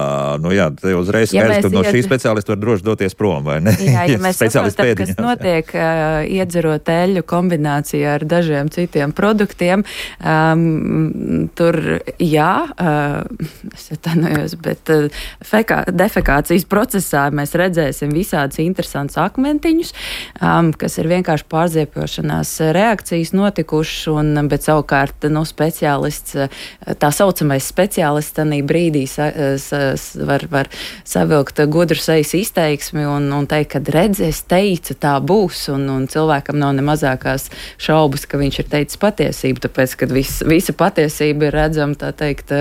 Uh, nu jā, te uzreiz skaidrs, ja ka no ied... šī speciālista var droši doties prom, vai ne? Jā, ja mēs saprotam, kas notiek uh, iedzerot eļļu kombinācijā ar dažiem citiem produktiem, um, tur jā, uh, es atvainojos, bet uh, fekā, defekācijas procesā mēs redzēsim visādus interesantus akmentiņus, um, kas ir vienkārši pārziepjošanās reakcijas notikušas, un, bet savukārt, nu, speciālists, tā saucamais speciālists tanī brīdī sa, sa, var, var savilkt gudru sejas izteiksmi un, un teikt, ka redz, es teicu, tā būs, un, un cilvēkam nav ne mazākās šaubas, ka viņš ir teicis patiesību, tāpēc, ka vis, visa patiesība ir redzama, tā teikt,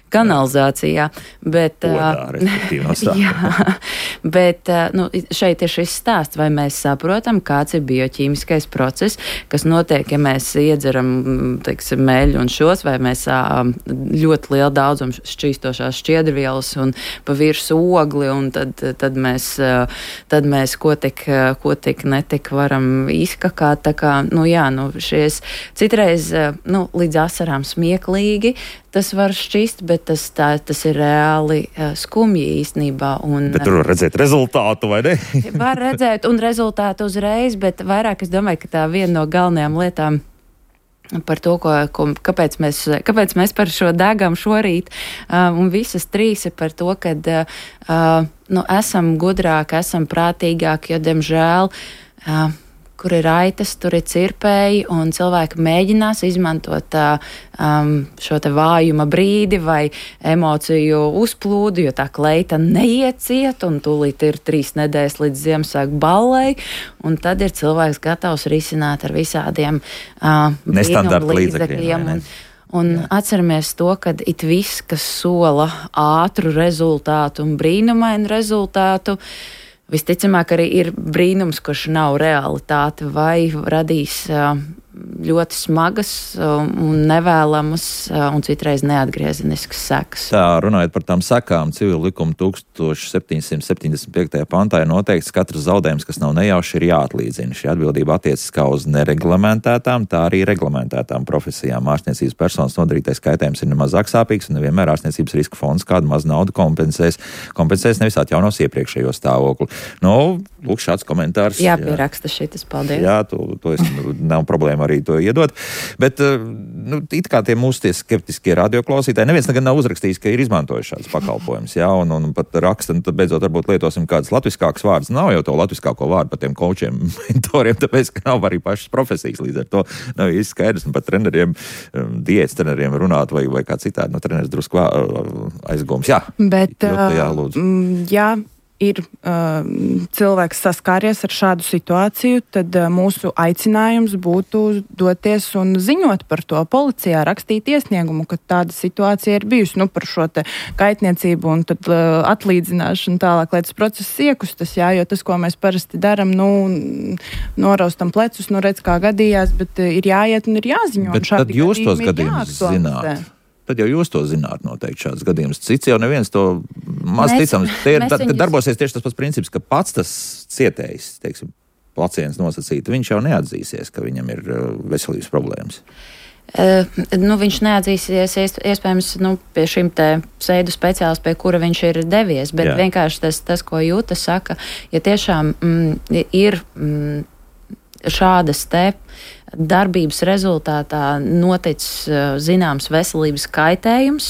kanalizācijā, bet, Odā, jā, bet nu, šeit ir šis stāsts, vai mēs saprotam, kāds ir bioķīmiskais process, kas notiek, ja mēs iedzeram, teiksim, meļu un šos, vai mēs ļoti lielu daudzumu šķīstošās šķiedrvielas un pa virsmu ogli, un tad, tad mēs, tad mēs ko tik, ko tik netik varam izkakāt, tā kā, nu jā, nu šies citreiz, nu, līdz asarām smieklīgi, tas var šķist, bet tas, tā, tas ir reāli uh, skumji īstenībā. Un, bet tur var redzēt rezultātu, vai ne? Var redzēt un rezultātu uzreiz, bet vairāk es domāju, ka tā viena no galvenajām lietām par to, ko, ko, kāpēc, mēs, kāpēc mēs par šo degam šorīt, uh, un visas trīs ir par to, ka uh, nu, esam gudrāki, esam prātīgāki, jo, diemžēl, uh, kur ir aitas, tur ir cirpēji, un cilvēki mēģinās izmantot um, šo te vājuma brīdi vai emociju uzplūdu, jo tā kleita neiet ciet, un tūlīt ir trīs nedēļas līdz Ziemassvētku ballei, un tad ir cilvēks gatavs risināt ar visādiem uh, nestandarta līdzekļiem. Un, un atceramies to, ka it viss, kas sola ātru rezultātu un brīnumainu rezultātu, visticamāk arī ir brīnums, kurš nav realitāte vai radīs uh, ļoti smagas un nevēlamas un citreiz neatgriezeniskas sekas. Tā, runājot par tām sekām, civila likuma tūkstoš septiņsimt septiņdesmit piektajā pantā ir noteikts, ka katrs zaudējums, kas nav nejauši, ir jāatlīdzina. Šī atbildība attiecas kā uz nereglamentētām, tā arī reglamentētām profesijām. Ārstniecības personas nodarītais kaitējums ir nemazāk sāpīgs, un nevienmēr ārstniecības riska fonds kādu maz naudu kompensēs. Kompensēs nevis atjaunos iepriekšējo stāvokli. Nu, lūk, šāds komentārs. Jāpieraksta šitas, paldies. Jā, to, to es, nav problēma arī to iedot. Bet, nu, it kā tie mūsu tie skeptiskie radioklausītāji, neviens nekad nav uzrakstījis, ka ir izmantojuši šāds pakalpojums, jā, un, un pat raksta, un tad beidzot varbūt lietosim kādas latviskākas vārdas. Nav jau to latviskāko vārdu par tiem kočiem, mentoriem, tāpēc, ka nav arī pašas profesijas līdz ar to. Nav īsti skaidrs, un pat treneriem, diētas treneriem runāt vai, vai kā citādi, no treneris drusku aizgums. Jā, bet, ļoti, jā, lūdzu. Jā, ir uh, cilvēks saskāries ar šādu situāciju, tad uh, mūsu aicinājums būtu doties un ziņot par to policijā, rakstīt iesniegumu, ka tāda situācija ir bijusi, nu, par šo te kaitniecību un tad uh, atlīdzināšanu tālāk, lai tas process iekustas, jā, jo tas, ko mēs parasti daram, nu, noraustam plecus, nu, redz, kā gadījās, bet uh, ir jāiet un ir jāziņo. Bet tad jūs tos gadījumus zināt. Tad jau jūs to zināt noteikti šāds gadījums. Cits jau neviens to maz mēs, ticams. Te ir, tad, viņus... darbosies tieši tas pats princips, ka pats tas cietējs, teiksim, pacients nosacītu, viņš jau neatzīsies, ka viņam ir veselības problēmas. Uh, nu, viņš neatzīsies iespējams nu, pie šim te sēdu speciālis, pie kura viņš ir devies, bet Jā. vienkārši tas, tas, ko Jūta saka, ja tiešām mm, ir mm, šādas te darbības rezultātā noticis zināms veselības kaitējums,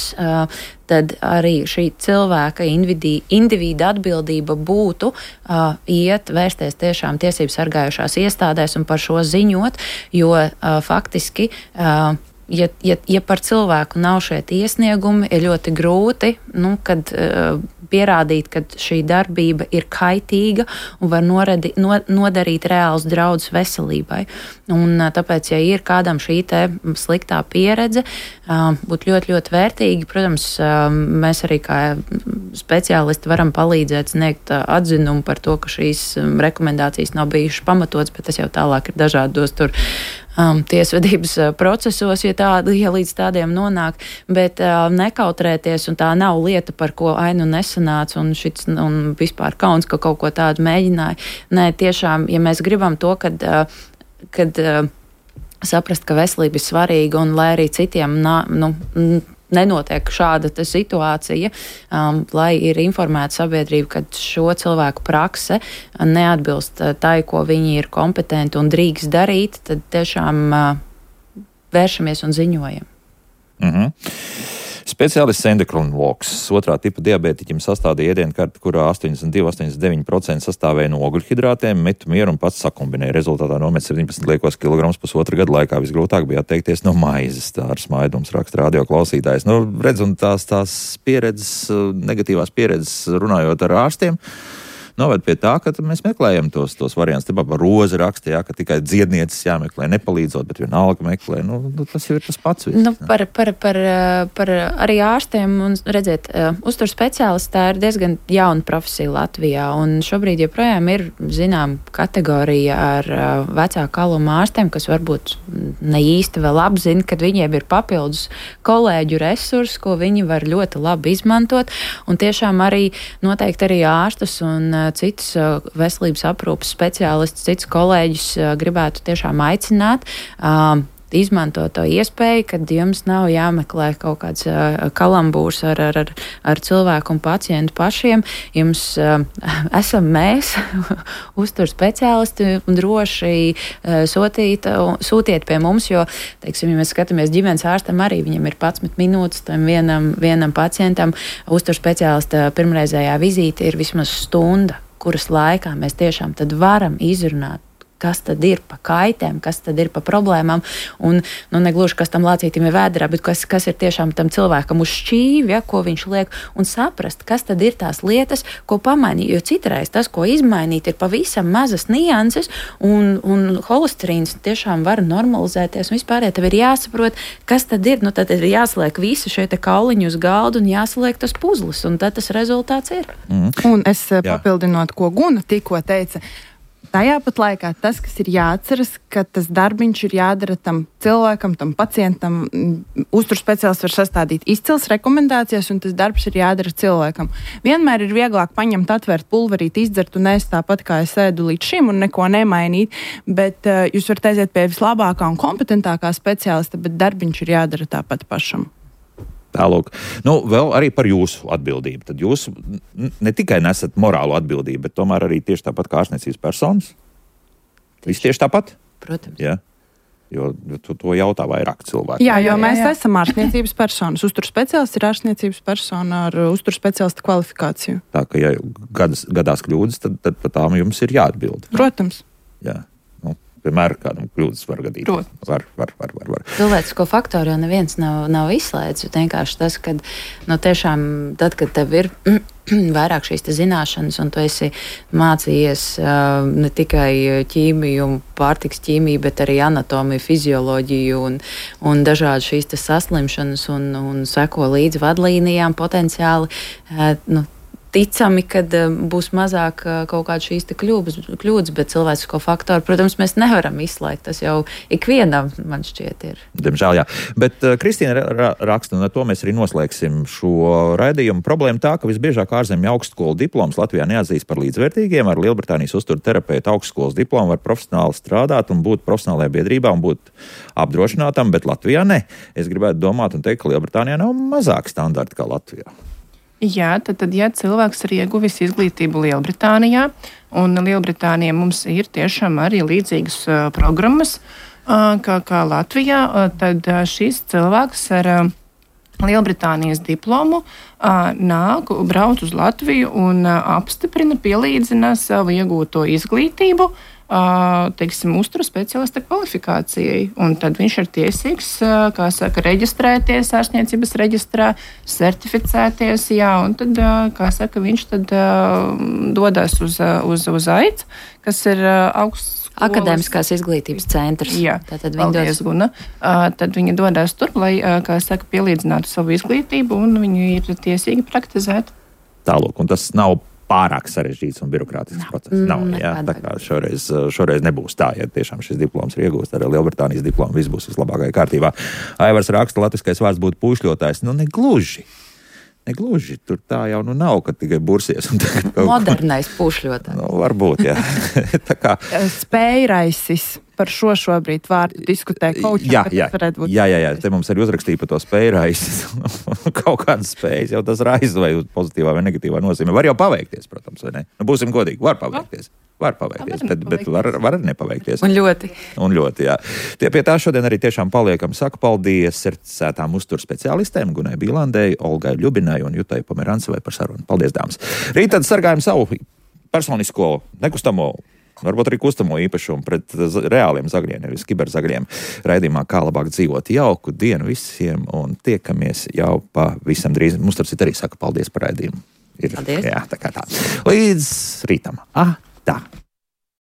tad arī šī cilvēka individi, individa atbildība būtu uh, iet, vērsties tiešām tiesību sargājušās iestādēs un par šo ziņot, jo uh, faktiski, uh, ja, ja, ja par cilvēku nav šie iesniegumi, ir ļoti grūti, nu, kad uh, pierādīt, ka šī darbība ir kaitīga un var noredi, no, nodarīt reāls draudus veselībai. Un tāpēc, ja ir kādam šī te sliktā pieredze, būtu ļoti, ļoti vērtīgi. Protams, mēs arī kā speciālisti varam palīdzēt sniegt atzinumu par to, ka šīs rekomendācijas nav bijušas pamatotas, bet tas jau tālāk ir dažādos tur Um, tiesvedības uh, procesos, ja, tādi, ja līdz tādiem nonāk, bet uh, nekautrēties, un tā nav lieta, par ko ainu nesanāca, un, šits, un vispār kauns, ka kaut ko tādu mēģināja. Nē, tiešām, ja mēs gribam to, kad, uh, kad uh, saprast, ka veselība ir svarīga, un lai arī citiem nā, nu, nenotiek šāda situācija, um, lai ir informēta sabiedrība, ka šo cilvēku prakse neatbilst tai, ko viņi ir kompetenti un drīkst darīt, tad tiešām uh, vēršamies un ziņojam. Mhm. Speciālists endokrinologs otrā tipa diabētiķim sastādīja ēdienkarti, kurā astoņdesmit divi līdz astoņdesmit deviņi procenti sastāvēja no ogļhidrātiem, metu mieru un pats sakombinēja. Rezultātā nomet septiņpadsmit liekos kilogramus pusotra gada laikā. Visgrūtāk bija atteikties no maizes. Tā ar smaidums raksta radio klausītājs. Nu, redz, un tās, tās pieredzes, negatīvās pieredzes runājot ar ārstiem, noved pie tā, ka mēs meklējam tos, tos variantus. Tāpēc par rozi raksta, jā, ka tikai dziednieces jāmeklē, nepalīdzot, bet vienalga meklē. Nu, tas jau ir tas pats. Viss, nu, par, par, par, par arī ārstiem un, redziet, uzturs speciālists tā ir diezgan jauna profesija Latvijā, un šobrīd joprojām ir, zinām, kategorija ar vecāku kalumu ārstiem, kas varbūt ne īsti vēl apzina, kad viņiem ir papildus kolēģu resursi, ko viņi var ļoti labi izmantot, un tiešām arī noteikti arī ārstus un citus veselības aprūpas speciālistus, citus kolēģus gribētu tiešām aicināt, uh, izmantot to iespēju, kad jums nav jāmeklē kaut kāds uh, kalambūrs ar, ar, ar, ar cilvēku un pacientu pašiem. Jums uh, esam mēs, uztur speciālisti, un droši uh, sūtīt, uh, sūtiet pie mums, jo, teiksim, ja mēs skatāmies ģimenes ārstam, arī viņam ir padsmit minūtes tam vienam, vienam pacientam. Uztur speciālista pirmreizējā vizīte ir vismaz stunda, kuras laikā mēs tiešām tad varam izrunāt, kas tad ir pa kaitēm, kas tad ir pa problēmām, un, nu, negluži, kas tam lācītim ir vēderā, bet kas, kas ir tiešām tam cilvēkam uz šķīvi, ja, ko viņš liek, un saprast, kas tad ir tās lietas, ko pamainīt, jo citreiz tas, ko izmainīt, ir pavisam mazas nianses, un, un holesterīns tiešām var normalizēties, un vispār, ja tev ir jāsaprot, kas tad ir, nu, tad ir jāsliek visi šie te kauliņi uz galdu, un jāsliek tas puzlis, un tad tas rezultāts ir. Mm. Un es Jā. papildinot, ko Guna tikko teica, tajā pat laikā tas, kas ir jāatceras, ka tas darbiņš ir jādara tam cilvēkam, tam pacientam. Uzturs speciālists var sastādīt izcils rekomendācijas, un tas darbs ir jādara cilvēkam. Vienmēr ir vieglāk paņemt, atvērt pulverīt, izdzert un ēst tāpat, kā es ēdu līdz šim, un neko nemainīt, bet uh, jūs varat aiziet pie vislabākā un kompetentākā speciālista, bet darbiņš ir jādara tāpat pašam. Tālūk. Nu, vēl arī par jūsu atbildību. Tad jūs ne tikai nesat morālu atbildību, bet tomēr arī tieši tāpat kā ārstniecības personas. Viss tieši tāpat? Protams. Jā. Jo to, to jautā vairāk cilvēku. Jā, jo mēs jā, jā. esam ārstniecības personas. Uzturs speciālists ir ārstniecības persona ar uzturs speciālista kvalifikāciju. Tā, ka ja gadas, gadās kļūdas, tad, tad par tām jums ir jāatbild. Protams. Jā. Vienmēr kādam kļūdas var gadīt. Var, var, var, var, var. Cilvēcisko faktoru jau neviens nav, nav izslēdzis. Vienkārši tas, ka nu, tiešām tad, kad tev ir vairāk šīs zināšanas, un tu esi mācījies uh, ne tikai ķīmiju, pārtiks ķīmiju, bet arī anatomiju, fizioloģiju un, un dažādas šīs saslimšanas un, un seko līdzi vadlīnijām potenciāli. Uh, nu, Ticami, kad būs mazāk kaut kāda šīs kļūdas, kļūdas, bet cilvēcisko faktoru, protams, mēs nevaram izslēgt. Tas jau ikvienam, man šķiet, ir. Diemžēl, jā. Bet uh, Kristīna ra raksta, un ar to mēs arī noslēgsim šo raidījumu. Problēma tā, ka visbiežāk ārzemju augstskolu diplomas Latvijā neatzīst par līdzvērtīgiem. Ar Lielbritānijas uzturu terapeitu augstskolas diplomu var profesionāli strādāt un būt profesionālajā biedrībā un būt apdrošinātam, bet Latvijā ne. Es gribētu domāt un teikt, ka Lielbritānijā nav mazāk standarti kā Latvijā. Jā, tad, tad, ja cilvēks ir ieguvis izglītību Lielbritānijā, un Lielbritānijā mums ir tiešām arī līdzīgas uh, programmas uh, kā, kā Latvijā, uh, tad uh, šis cilvēks ar uh, Lielbritānijas diplomu uh, nāk, brauc uz Latviju un uh, apstiprina, pielīdzina savu iegūto izglītību, Uh, teiksim, uzturu speciālista kvalifikācijai. Un tad viņš ir tiesīgs, uh, kā saka, reģistrēties ārstniecības reģistrā, certificēties, jā, un tad, uh, kā saka, viņš tad uh, dodas uz, uh, uz, uz A I C, kas ir uh, augsts Akadēmiskās izglītības centrs. Jā, tātad viņi dodas, Guna. Uh, tad viņi dodas tur, lai, uh, kā saka, pielīdzinātu savu izglītību, un viņi ir tiesīgi praktizēt. Tālūk, un tas nav pārāk sarežģīts un birokrātisks no. process. Nav, jā, tā kā šoreiz, šoreiz nebūs tā, ja tiešām šis diploms ir iegūst ar Lielbritānijas diplomu, viss būs vislabākajā kārtībā. Aivars raksta, latviskais vārds būtu pūšļotājs. Nu, negluži. Negluži. Tur tā jau nu nav, kad tikai bursies. Un tagad kaut... Modernais pūšļotājs. Nu, varbūt, jā. Tā kā... Spējraisis. Par šo šobrīd vārdu diskutē kaučam. Jā, jā, jā, jā, jā, te mums arī uzrakstīja par to spēju raizes. Kaut kādas spējas, jau tas raiz vai pozitīvā vai negatīvā nozīmē. Var jau paveikties, protams, vai ne? Nu, būsim godīgi, var paveikties. Var paveikties, bet, bet var, var arī nepaveikties. Un ļoti. Un ļoti, jā. Tie pie tā šodien arī tiešām paliekam. Saku paldies certificētām uzturu speciālistēm Gunai Bīlandei, Olgai Ļubinai un Jutai Pomerancevai par sarunu. Paldies, dāmas. Rīt tad sargājam savu personisko nekustamo, varbūt arī kustamo īpašumu pret reāliem zagļiem, nevis kiberzagļiem. Raidījumā Kā labāk dzīvot. Jauku dienu visiem un tiekamies jau pavisam drīz. Mums tarp citu arī saka paldies par raidījumu. Ir, paldies. Jā, tā kā tā. Līdz rītam. Ah, tā.